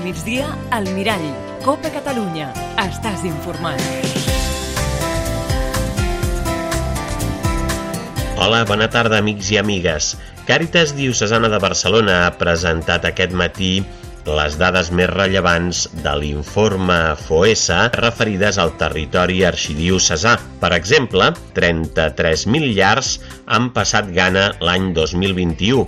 migdia, al Mirall. Copa Catalunya. Estàs informat. Hola, bona tarda, amics i amigues. Càritas Diocesana de Barcelona ha presentat aquest matí les dades més rellevants de l'informe FOESA referides al territori arxidiocesà. Per exemple, 33.000 llars han passat gana l'any 2021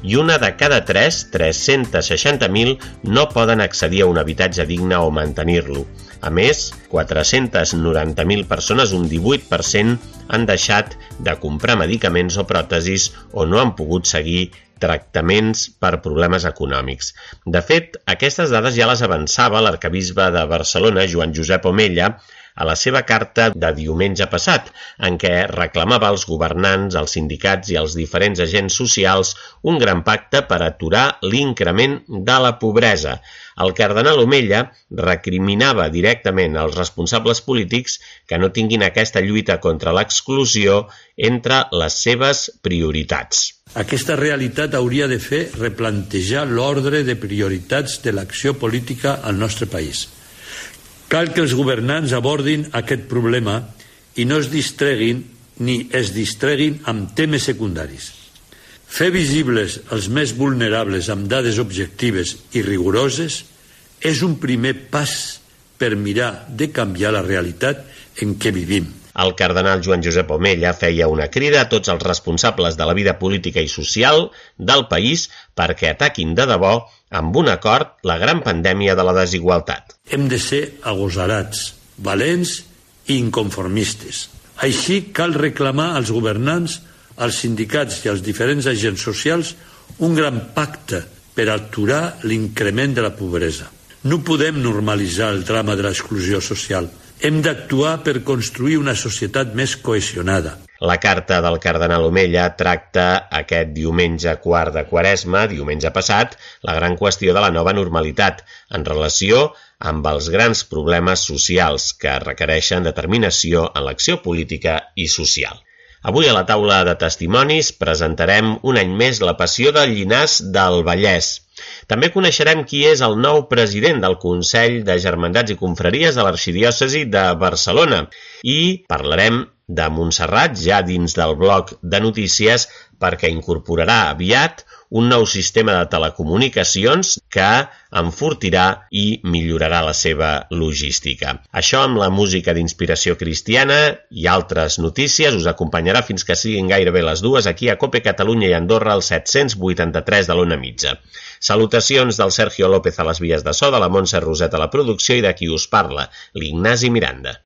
i una de cada 360.000, no poden accedir a un habitatge digne o mantenir-lo. A més, 490.000 persones, un 18%, han deixat de comprar medicaments o pròtesis o no han pogut seguir tractaments per problemes econòmics. De fet, aquestes dades ja les avançava l'arquebisbe de Barcelona, Joan Josep Omella, a la seva carta de diumenge passat, en què reclamava als governants, als sindicats i als diferents agents socials un gran pacte per aturar l'increment de la pobresa. El cardenal Omella recriminava directament als responsables polítics que no tinguin aquesta lluita contra l'exclusió entre les seves prioritats. Aquesta realitat hauria de fer replantejar l'ordre de prioritats de l'acció política al nostre país. Cal que els governants abordin aquest problema i no es distreguin ni es distreguin amb temes secundaris. Fer visibles els més vulnerables amb dades objectives i rigoroses és un primer pas per mirar de canviar la realitat en què vivim. El cardenal Joan Josep Omella feia una crida a tots els responsables de la vida política i social del país perquè ataquin de debò amb un acord la gran pandèmia de la desigualtat. Hem de ser agosarats, valents i inconformistes. Així cal reclamar als governants, als sindicats i als diferents agents socials un gran pacte per aturar l'increment de la pobresa. No podem normalitzar el drama de l'exclusió social. Hem d'actuar per construir una societat més cohesionada. La carta del cardenal Omella tracta aquest diumenge quart de Quaresma, diumenge passat, la gran qüestió de la nova normalitat en relació amb els grans problemes socials que requereixen determinació en l'acció política i social. Avui a la taula de testimonis presentarem un any més la passió del Llinars del Vallès. També coneixerem qui és el nou president del Consell de Germandats i Confraries de l'Arxidiòcesi de Barcelona i parlarem de Montserrat ja dins del bloc de notícies perquè incorporarà aviat un nou sistema de telecomunicacions que enfortirà i millorarà la seva logística. Això amb la música d'inspiració cristiana i altres notícies us acompanyarà fins que siguin gairebé les 2 aquí a Copa Catalunya i Andorra al 783 de l'Ona Mitja. Salutacions del Sergio López a les vies de so, de la Montse Roset a la producció i de qui us parla, l'Ignasi Miranda.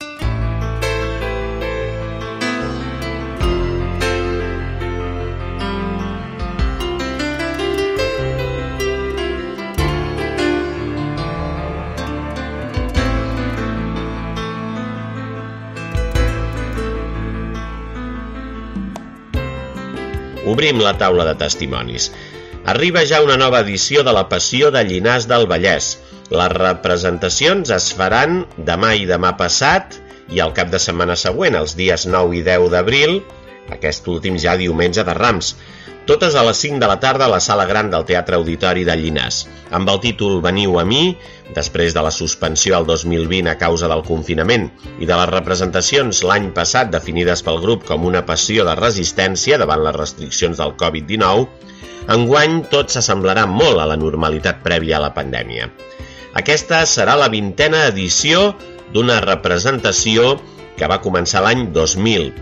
Obrim la taula de testimonis. Arriba ja una nova edició de la Passió de Llinars del Vallès. Les representacions es faran demà i demà passat i el cap de setmana següent, els dies 9 i 10 d'abril, aquest últim ja diumenge de Rams. Totes a les 5 de la tarda a la sala gran del Teatre Auditori de Llinars, amb el títol Veniu a mi, després de la suspensió al 2020 a causa del confinament i de les representacions l'any passat definides pel grup com una passió de resistència davant les restriccions del Covid-19, enguany tot s'assemblarà molt a la normalitat prèvia a la pandèmia. Aquesta serà la 20a edició d'una representació que va començar l'any 2000.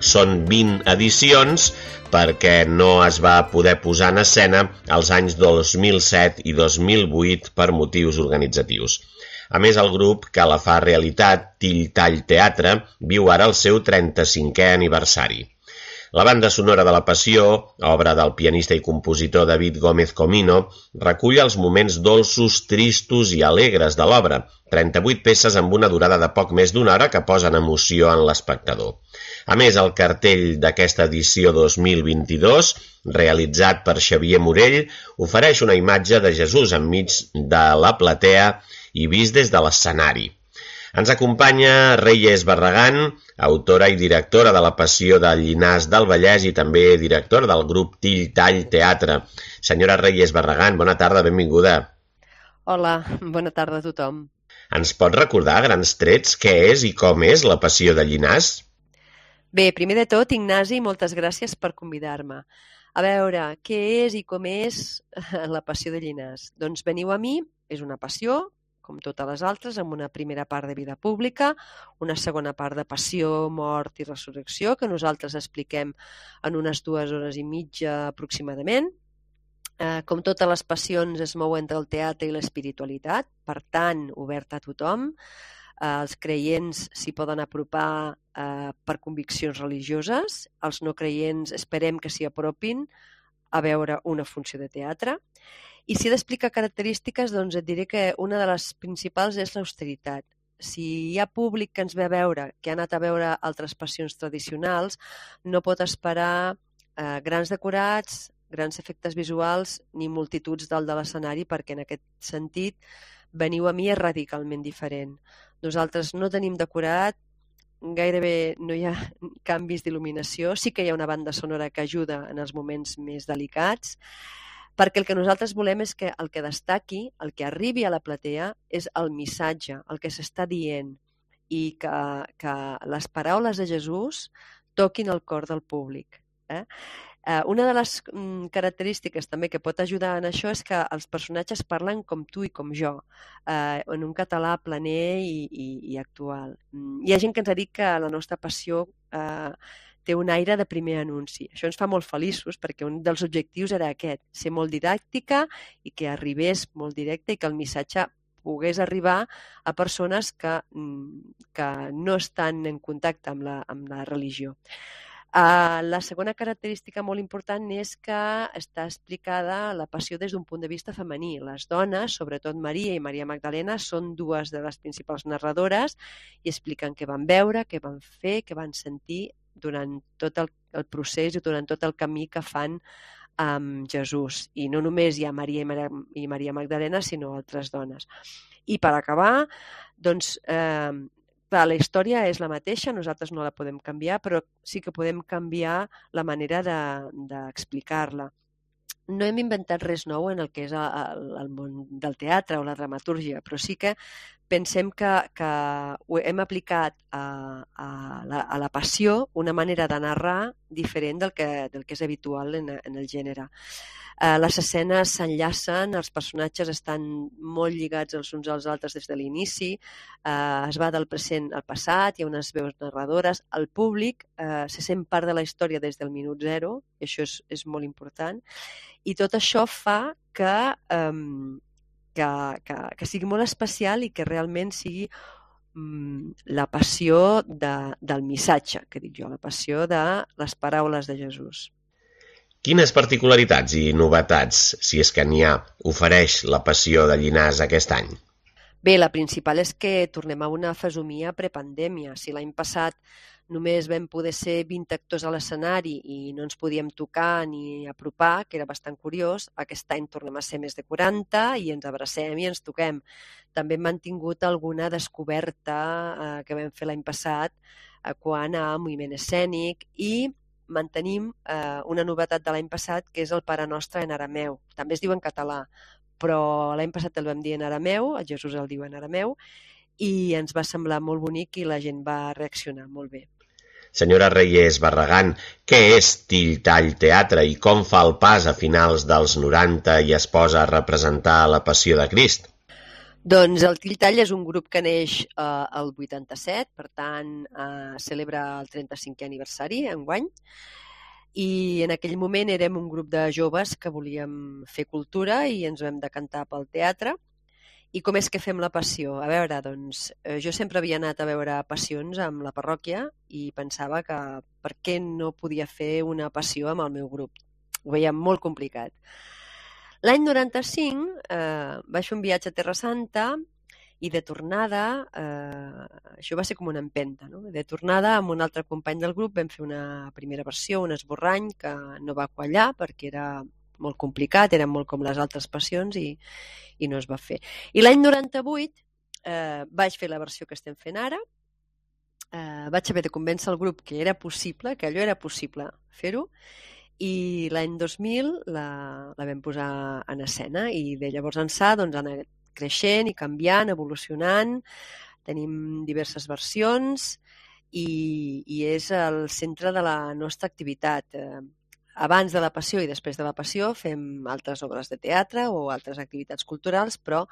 Són 20 edicions perquè no es va poder posar en escena els anys 2007 i 2008 per motius organitzatius. A més, el grup que la fa realitat, Till Tall Teatre, viu ara el seu 35è aniversari. La banda sonora de la Passió, obra del pianista i compositor David Gómez Comino, recull els moments dolços, tristos i alegres de l'obra, 38 peces amb una durada de poc més d'una hora que posen emoció en l'espectador. A més, el cartell d'aquesta edició 2022, realitzat per Xavier Morell, ofereix una imatge de Jesús enmig de la platea i vist des de l'escenari. Ens acompanya Reyes Barragán, autora i directora de la Passió del Llinars del Vallès i també directora del grup Till Tall Teatre. Senyora Reyes Barragán, bona tarda, benvinguda. Hola, bona tarda a tothom. Ens pot recordar a grans trets què és i com és la Passió de Llinars? Bé, primer de tot, Ignasi, moltes gràcies per convidar-me. A veure, què és i com és la Passió de Llinars? Doncs veniu a mi, és una passió, com totes les altres, amb una primera part de vida pública, una segona part de passió, mort i resurrecció, que nosaltres expliquem en unes 2 hores i mitja aproximadament. Com totes les passions es mou entre el teatre i l'espiritualitat, per tant, oberta a tothom. Els creients s'hi poden apropar per conviccions religioses, els no creients esperem que s'hi apropin a veure una funció de teatre. I si he d'explicar característiques, doncs et diré que una de les principals és l'austeritat. Si hi ha públic que ens ve a veure, que ha anat a veure altres passions tradicionals, no pot esperar grans decorats, grans efectes visuals ni multituds dalt de l'escenari, perquè en aquest sentit veniu a mi és radicalment diferent. Nosaltres no tenim decorat, gairebé no hi ha canvis d'il·luminació, sí que hi ha una banda sonora que ajuda en els moments més delicats, perquè el que nosaltres volem és que el que destaqui, el que arribi a la platea, és el missatge, el que s'està dient, i que les paraules de Jesús toquin el cor del públic. Una de les característiques també que pot ajudar en això és que els personatges parlen com tu i com jo, en un català planer i actual. Hi ha gent que ens ha dit que la nostra passió té un aire de primer anunci. Això ens fa molt feliços perquè un dels objectius era aquest, ser molt didàctica i que arribés molt directe i que el missatge pogués arribar a persones que no estan en contacte amb la religió. La segona característica molt important és que està explicada la passió des d'un punt de vista femení. Les dones, sobretot Maria i Maria Magdalena, són 2 de les principals narradores i expliquen què van veure, què van fer, què van sentir durant tot el procés i durant tot el camí que fan amb Jesús. I no només hi ha Maria i Maria Magdalena, sinó altres dones. I per acabar, doncs, la història és la mateixa, nosaltres no la podem canviar, però sí que podem canviar la manera d'explicar-la. No hem inventat res nou en el que és el món del teatre o la dramatúrgia, però sí que pensem que hem aplicat a la passió una manera de narrar diferent del que és habitual en el gènere. Les escenes s'enllacen, els personatges estan molt lligats els uns als altres des de l'inici, es va del present al passat, hi ha unes veus narradores, el públic se sent part de la història des del minut zero, i això és molt important, i tot això fa que sigui molt especial i que realment sigui la passió del missatge, que dic jo, la passió de les paraules de Jesús. Quines particularitats i novetats, si és que n'hi ha, ofereix la Passió de Llinars aquest any? Bé, la principal és que tornem a una fesomia prepandèmia. Si l'any passat només vam poder ser 20 actors a l'escenari i no ens podíem tocar ni apropar, que era bastant curiós, aquest any tornem a ser més de 40 i ens abracem i ens toquem. També hem mantingut alguna descoberta que vam fer l'any passat quant a moviment escènic i mantenim una novetat de l'any passat, que és el Pare Nostre en arameu. També es diu en català, però l'any passat el vam dir en arameu, el Jesús el diu en arameu, i ens va semblar molt bonic i la gent va reaccionar molt bé. Senyora Reyes Barragán, què és Tilltall Teatre i com fa el pas a finals dels 90 i es posa a representar la Passió de Crist? Doncs el Tilltall és un grup que neix el 87, per tant celebra el 35è aniversari enguany, i en aquell moment érem un grup de joves que volíem fer cultura i ens vam decantar pel teatre. I com és que fem la passió? A veure, doncs, jo sempre havia anat a veure passions amb la parròquia i pensava que per què no podia fer una passió amb el meu grup. Ho veia molt complicat. L'any 95 vaig fer un viatge a Terra Santa i de tornada, això va ser com una empenta, no? De tornada amb un altre company del grup vam fer una primera versió, un esborrany que no va quallar perquè era molt complicat, eren molt com les altres passions i no es va fer. I l'any 98 vaig fer la versió que estem fent ara, vaig haver de convèncer el grup que era possible, que allò era possible fer-ho, i l'any 2000 la vam posar en escena i de llavors ençà doncs, han creixent i canviant, evolucionant, tenim diverses versions i és el centre de la nostra activitat. Abans de la Passió i després de la Passió fem altres obres de teatre o altres activitats culturals, però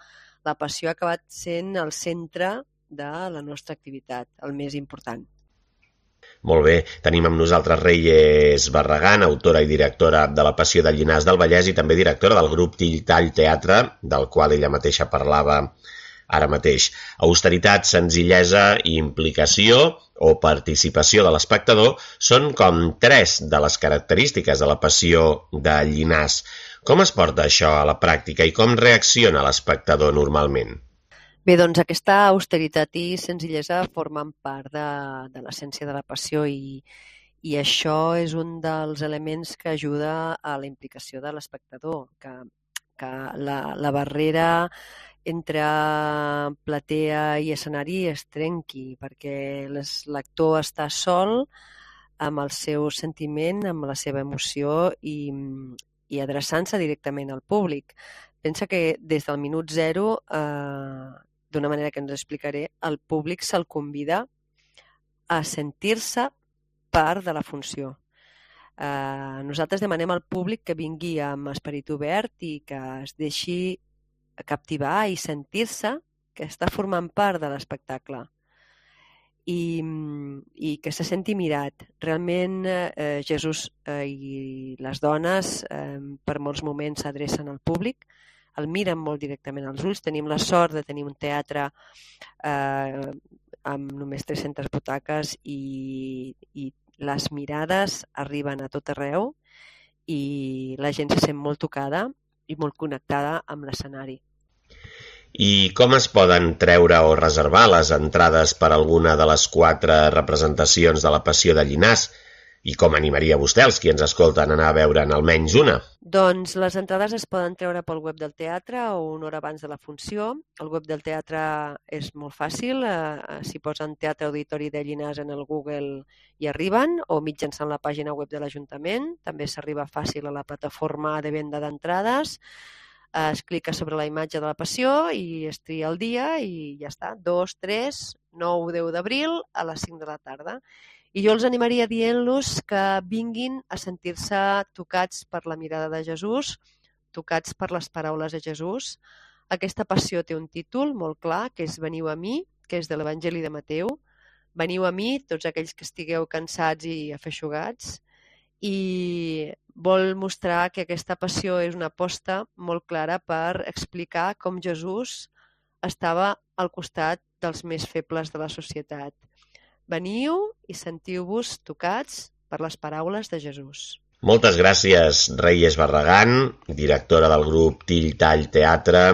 la Passió ha acabat sent el centre de la nostra activitat, el més important. Molt bé, tenim amb nosaltres Reyes Barragán, autora i directora de La Passió de Llinars del Vallès i també directora del grup Till Tall Teatre, del qual ella mateixa parlava ara mateix. Austeritat, senzillesa i implicació o participació de l'espectador són com 3 de les característiques de la Passió de Llinars. Com es porta això a la pràctica i com reacciona l'espectador normalment? Bé, doncs aquesta austeritat i senzillesa formen part de l'essència de la Passió i això és un dels elements que ajuda a la implicació de l'espectador, que la barrera entre platea i escenari es trenqui, perquè l'actor està sol amb el seu sentiment, amb la seva emoció i adreçant-se directament al públic. Pensa que des del minut zero, d'una manera que ens explicaré, el públic se'l convida a sentir-se part de la funció. Nosaltres demanem al públic que vingui amb esperit obert i que es deixi captivar i sentir-se que està formant part de l'espectacle i que se senti mirat. Realment Jesús i les dones per molts moments s'adrecen al públic, el miren molt directament als ulls. Tenim la sort de tenir un teatre amb només 300 butaques i les mirades arriben a tot arreu i la gent se sent molt tocada i molt connectada amb l'escenari. I com es poden treure o reservar les entrades per alguna de les 4 representacions de la Passió de Llinars? I com animaria vostè els qui ens escolten a anar a veure'n almenys una? Doncs les entrades es poden treure pel web del teatre o una hora abans de la funció. El web del teatre és molt fàcil, si posen Teatre Auditori de Llinars en el Google hi arriben, o mitjançant la pàgina web de l'Ajuntament. També s'arriba fàcil a la plataforma de venda d'entrades. Es clica sobre la imatge de la Passió i es tria el dia i ja està. 2, 3, 9, 10 d'abril a les 5 de la tarda. I jo els animaria dient-los que vinguin a sentir-se tocats per la mirada de Jesús, tocats per les paraules de Jesús. Aquesta passió té un títol molt clar, que és Veniu a mi, que és de l'Evangeli de Mateu. Veniu a mi, tots aquells que estigueu cansats i afeixugats, i vol mostrar que aquesta passió és una aposta molt clara per explicar com Jesús estava al costat dels més febles de la societat. Veniu i sentiu-vos tocats per les paraules de Jesús. Moltes gràcies, Reyes Barragán, directora del grup Till Tall Teatre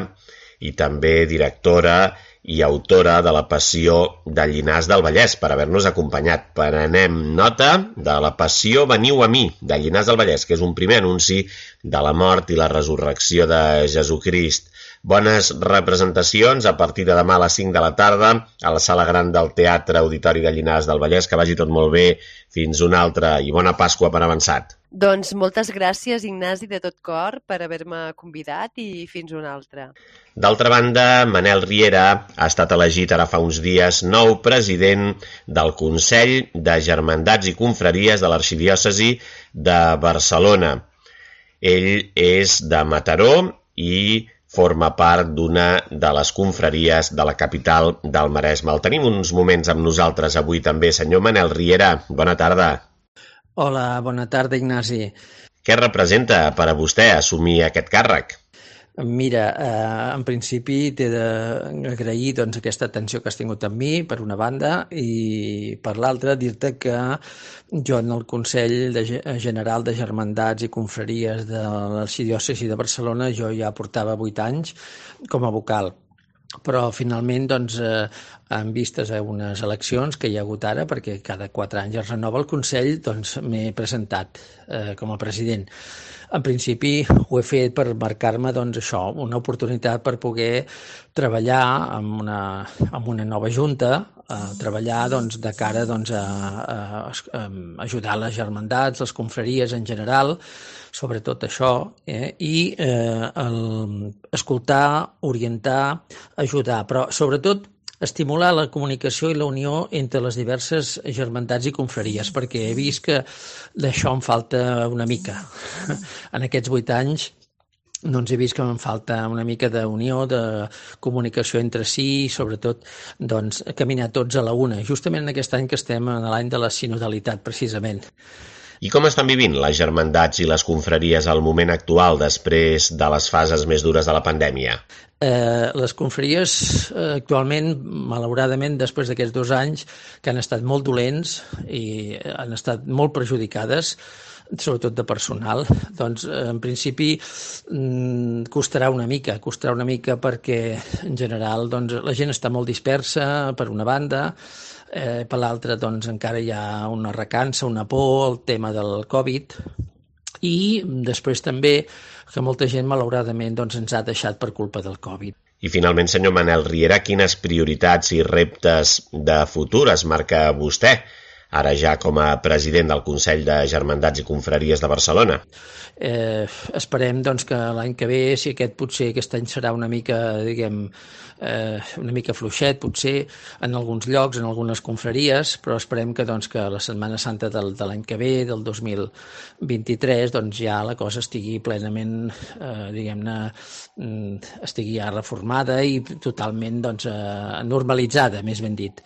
i també directora i autora de La Passió de Llinars del Vallès, per haver-nos acompanyat. Prenem nota de La Passió Veniu a mi, de Llinars del Vallès, que és un primer anunci de la mort i la resurrecció de Jesucrist. Bones representacions a partir de demà a les 5 de la tarda a la Sala Gran del Teatre Auditori de Llinars del Vallès. Que vagi tot molt bé. Fins una altra i bona Pasqua per avançat. Doncs moltes gràcies, Ignasi, de tot cor, per haver-me convidat i fins una altra. D'altra banda, Manel Riera ha estat elegit ara fa uns dies nou president del Consell de Germandats i Confraries de l'Arxidiòcesi de Barcelona. Ell és de Mataró i forma part d'una de les confraries de la capital del Maresme. El tenim uns moments amb nosaltres avui també. Senyor Manel Riera, bona tarda. Hola, bona tarda, Ignasi. Què representa per a vostè assumir aquest càrrec? Mira, en principi t'he d'agrair aquesta atenció que has tingut amb mi, per una banda, i per l'altra dir-te que jo en el Consell General de Germandats i Confraries de l'Arxidiòcesi de Barcelona jo ja portava 8 anys com a vocal. Però finalment, en vistes a unes eleccions que hi ha hagut ara, perquè cada 4 anys es renova el Consell, m'he presentat com a president. En principi ho he fet per marcar-me una oportunitat per poder treballar amb una nova junta treballar de cara a ajudar les germandats, les confraries en general, sobretot això, i escoltar, orientar, ajudar, però sobretot estimular la comunicació i la unió entre les diverses germandats i confraries, perquè he vist que d'això em falta una mica. En aquests 8 anys doncs he vist que em falta una mica d'unió, de comunicació entre si i sobretot caminar tots a la una, justament en aquest any que estem en l'any de la sinodalitat, precisament. I com estan vivint les germandats i les confraries al moment actual després de les fases més dures de la pandèmia? Les confraries actualment, malauradament, després d'aquests 2 anys que han estat molt dolents i han estat molt perjudicades, sobretot de personal, doncs en principi costarà una mica perquè en general la gent està molt dispersa per una banda, per l'altra encara hi ha una recança, una por al tema del Covid, i després també que molta gent malauradament ens ha deixat per culpa del Covid. I finalment, senyor Manel Riera, quines prioritats i reptes de futur es marca vostè, ara ja com a president del Consell de Germandats i Confraries de Barcelona? Esperem que l'any que ve, si aquest any serà una mica, una mica fluixet, potser en alguns llocs, en algunes confraries, però esperem que la Setmana Santa de l'any que ve, del 2023, ja la cosa estigui plenament, estigui ja reformada i totalment normalitzada, més ben dit.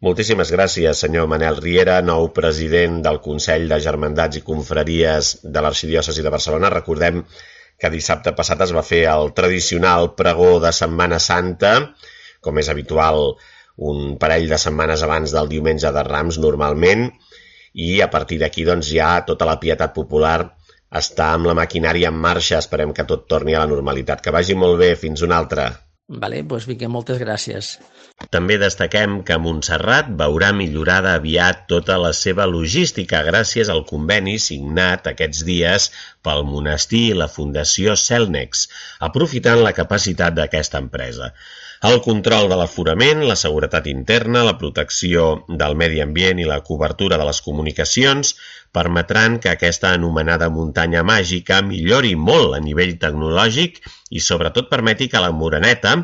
Moltíssimes gràcies, senyor Manel Riera, nou president del Consell de Germandats i Confraries de l'Arxidiòcesi de Barcelona. Recordem que dissabte passat es va fer el tradicional pregó de Setmana Santa, com és habitual un parell de setmanes abans del diumenge de Rams normalment, i a partir d'aquí ja tota la pietat popular està amb la maquinària en marxa. Esperem que tot torni a la normalitat. Que vagi molt bé, fins una altra. Vale, doncs vinga, moltes gràcies. També destaquem que Montserrat veurà millorada aviat tota la seva logística gràcies al conveni signat aquests dies pel monestir i la Fundació Cellnex, aprofitant la capacitat d'aquesta empresa. El control de l'aforament, la seguretat interna, la protecció del medi ambient i la cobertura de les comunicacions permetran que aquesta anomenada muntanya màgica millori molt a nivell tecnològic i sobretot permeti que la Moreneta,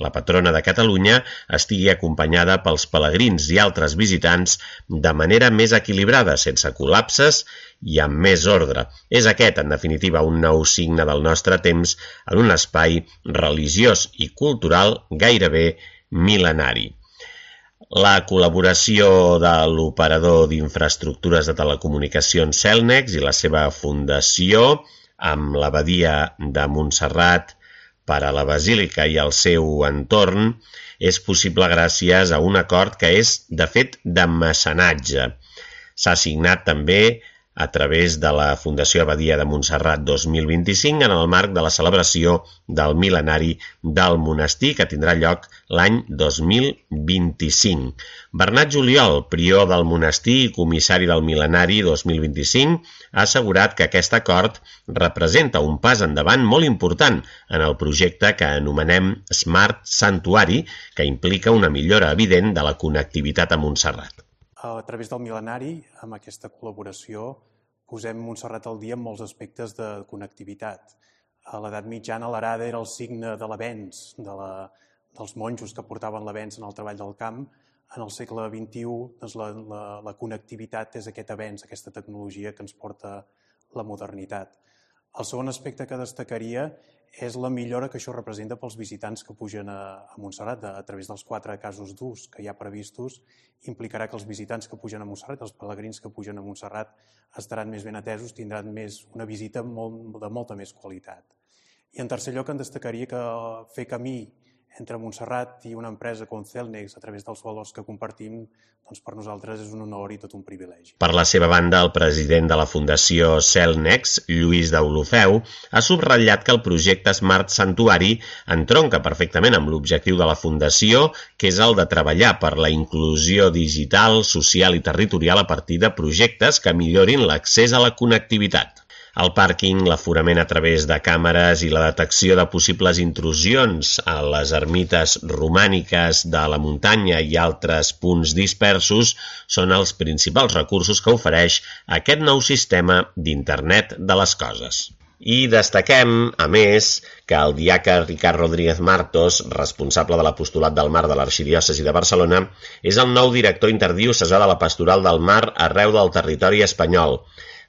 la patrona de Catalunya, estigui acompanyada pels pelegrins i altres visitants de manera més equilibrada, sense col·lapses i amb més ordre. És aquest, en definitiva, un nou signe del nostre temps en un espai religiós i cultural gairebé mil·lenari. La col·laboració de l'operador d'infraestructures de telecomunicacions Cellnex i la seva fundació amb l'Abadia de Montserrat per a la Basílica i el seu entorn és possible gràcies a un acord que és, de fet, de mecenatge. S'ha signat també a través de la Fundació Abadia de Montserrat 2025 en el marc de la celebració del mil·lenari del monestir que tindrà lloc l'any 2025. Bernat Juliol, prior del monestir i comissari del mil·lenari 2025, ha assegurat que aquest acord representa un pas endavant molt important en el projecte que anomenem Smart Santuari, que implica una millora evident de la connectivitat a Montserrat. A través del mil·lenari, amb aquesta col·laboració, posem Montserrat al dia en molts aspectes de connectivitat. A l'edat mitjana, l'arada era el signe de l'avenç, dels monjos que portaven l'avenç en el treball del camp. En el segle XXI, doncs, la connectivitat és aquest avenç, aquesta tecnologia que ens porta la modernitat. El segon aspecte que destacaria és la millora que això representa pels visitants que pugen a Montserrat a través dels 4 casos d'ús que hi ha previstos. Implicarà que els visitants que pugen a Montserrat, els pelegrins que pugen a Montserrat, estaran més ben atesos, tindran una visita de molta més qualitat. I en tercer lloc, en destacaria que fer camí entre Montserrat i una empresa com Cellnex a través dels valors que compartim, doncs per nosaltres és un honor i tot un privilegi. Per la seva banda, el president de la Fundació Cellnex, Lluís Deulofeu, ha subratllat que el projecte Smart Santuari entronca perfectament amb l'objectiu de la Fundació, que és el de treballar per la inclusió digital, social i territorial a partir de projectes que millorin l'accés a la connectivitat. El pàrquing, l'aforament a través de càmeres i la detecció de possibles intrusions a les ermites romàniques de la muntanya i altres punts dispersos són els principals recursos que ofereix aquest nou sistema d'Internet de les coses. I destaquem, a més, que el diaca Ricard Rodríguez Martos, responsable de l'apostolat del mar de l'Arxidiòcesi de Barcelona, és el nou director interdiocesà de la Pastoral del Mar arreu del territori espanyol.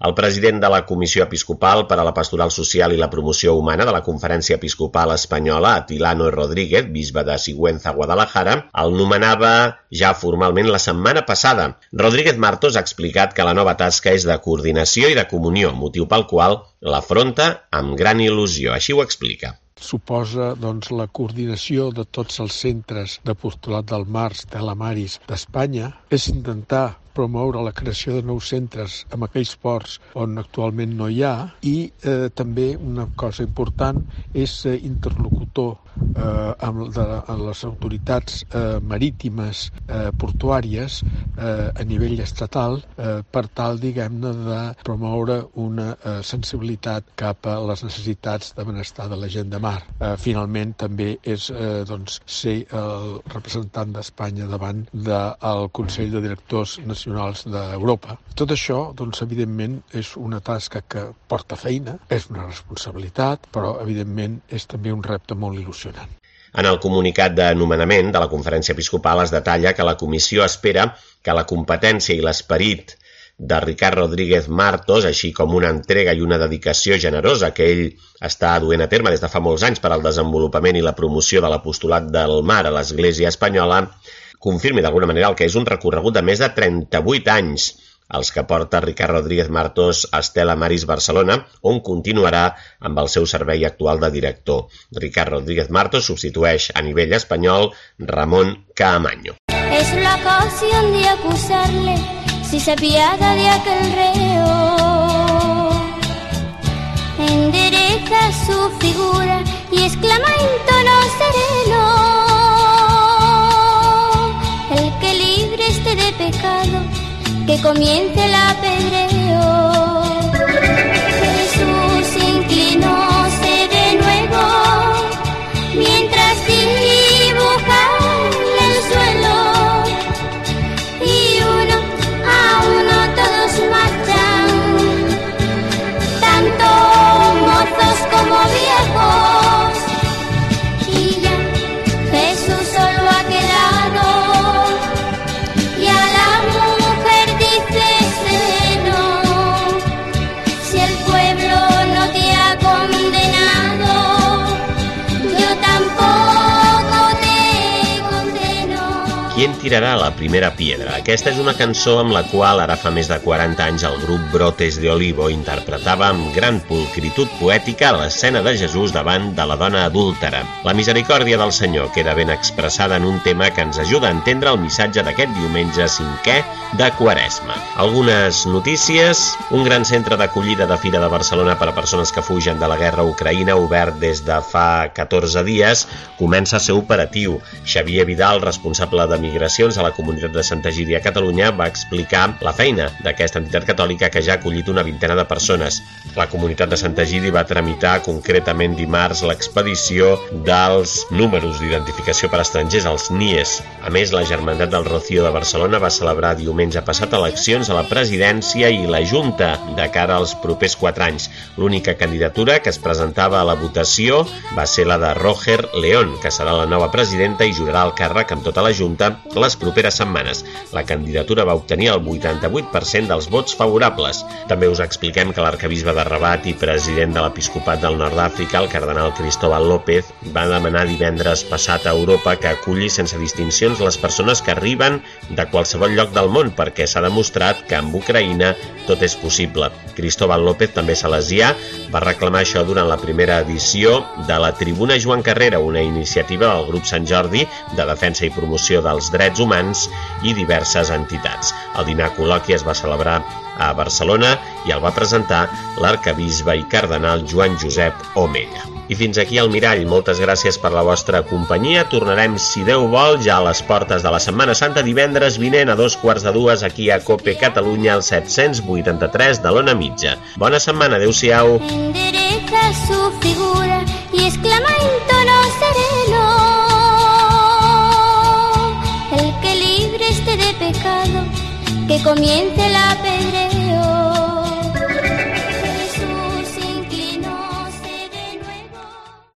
El president de la Comissió Episcopal per a la Pastoral Social i la Promoció Humana de la Conferència Episcopal Espanyola, Atilano Rodríguez, bisbe de Sigüenza, Guadalajara, el nomenava ja formalment la setmana passada. Rodríguez Martos ha explicat que la nova tasca és de coordinació i de comunió, motiu pel qual l'afronta amb gran il·lusió. Així ho explica. Suposa la coordinació de tots els centres d'apostolat del mar, Stella Maris, d'Espanya. És intentar promoure la creació de nous centres en aquells ports on actualment no hi ha i també una cosa important és ser interlocutor amb les autoritats marítimes portuàries a nivell estatal per tal, diguem-ne, de promoure una sensibilitat cap a les necessitats de benestar de la gent de mar. Finalment, també és ser el representant d'Espanya davant del Consell de Directors Nacionals d'Europa. Tot això, evidentment, és una tasca que porta feina, és una responsabilitat, però, evidentment, és també un repte molt il·lusionant. En el comunicat de nomenament de la Conferència Episcopal es detalla que la comissió espera que la competència i l'esperit de Ricard Rodríguez Martos, així com una entrega i una dedicació generosa que ell està duent a terme des de fa molts anys per al desenvolupament i la promoció de l'apostolat del mar a l'Església espanyola, confirmi d'alguna manera el que és un recorregut de més de 38 anys, els que porta Ricard Rodríguez Martos a Stella Maris Barcelona, on continuarà amb el seu servei actual de director. Ricard Rodríguez Martos substitueix a nivell espanyol Ramón Caamaño. Es la ocasión de acusarle si se apiada de aquel reo. Endereza su figura y exclama en tono sereno: el que libre esté de pecado, que comience el apedreo. Jesús inclinóse de nuevo mientras dibuja el suelo y uno a uno todos marchan, tanto mozos como viejos, y ya Jesús solo ha quedado y a la mujer dice sereno: si el pueblo no te ha condenado, yo tampoco te condeno. ¿Quién tirarà la primera piedra? Aquesta és una cançó amb la qual ara fa més de 40 anys el grup Brotes de Olivo interpretava amb gran pulcritud poètica l'escena de Jesús davant de la dona adúltera. La misericòrdia del Senyor queda ben expressada en un tema que ens ajuda a entendre el missatge d'aquest diumenge 5è de Quaresma. Algunes notícies: un gran centre d'acollida de Fira de Barcelona per a persones que fugen de la guerra a Ucraïna, obert des de fa 14 dies, comença a ser operatiu. Xavier Vidal, responsable de Migracions a la Comunitat de Santa Egídia a Catalunya, va explicar la feina d'aquesta entitat catòlica que ja ha acollit una vintena de persones. La Comunitat de Santa Egídia va tramitar concretament dimarts l'expedició dels números d'identificació per a estrangers, els NIES. A més, la Germandat del Rocío de Barcelona va celebrar diumenge passat eleccions a la presidència i la Junta de cara als propers 4 anys. L'única candidatura que es presentava a la votació va ser la de Roger León, que serà la nova presidenta i jurarà el càrrec amb tota la Junta les properes setmanes. La candidatura va obtenir el 88% dels vots favorables. També us expliquem que l'arcabisbe de Rabat i president de l'Episcopat del Nord d'Àfrica, el cardenal Cristóbal López, va demanar divendres passat a Europa que aculli sense distincions les persones que arriben de qualsevol lloc del món, perquè s'ha demostrat que amb Ucraïna tot és possible. Cristóbal López, també salesià, va reclamar això durant la primera edició de la Tribuna Joan Carrera, una iniciativa del grup Sant Jordi de defensa i promoció dels drets drets humans i diverses entitats. El dinar col·loqui es va celebrar a Barcelona i el va presentar l'arquebisbe i cardenal Joan Josep Omella. I fins aquí el Mirall. Moltes gràcies per la vostra companyia. Tornarem, si Déu vol, ja a les portes de la Setmana Santa divendres vinent a 2:45 aquí a COPE Catalunya, al 783 de l'Ona Mitja. Bona setmana, adeu-siau. Endereza su figura y exclama en tono sereno: el que libre esté de pecado, que comience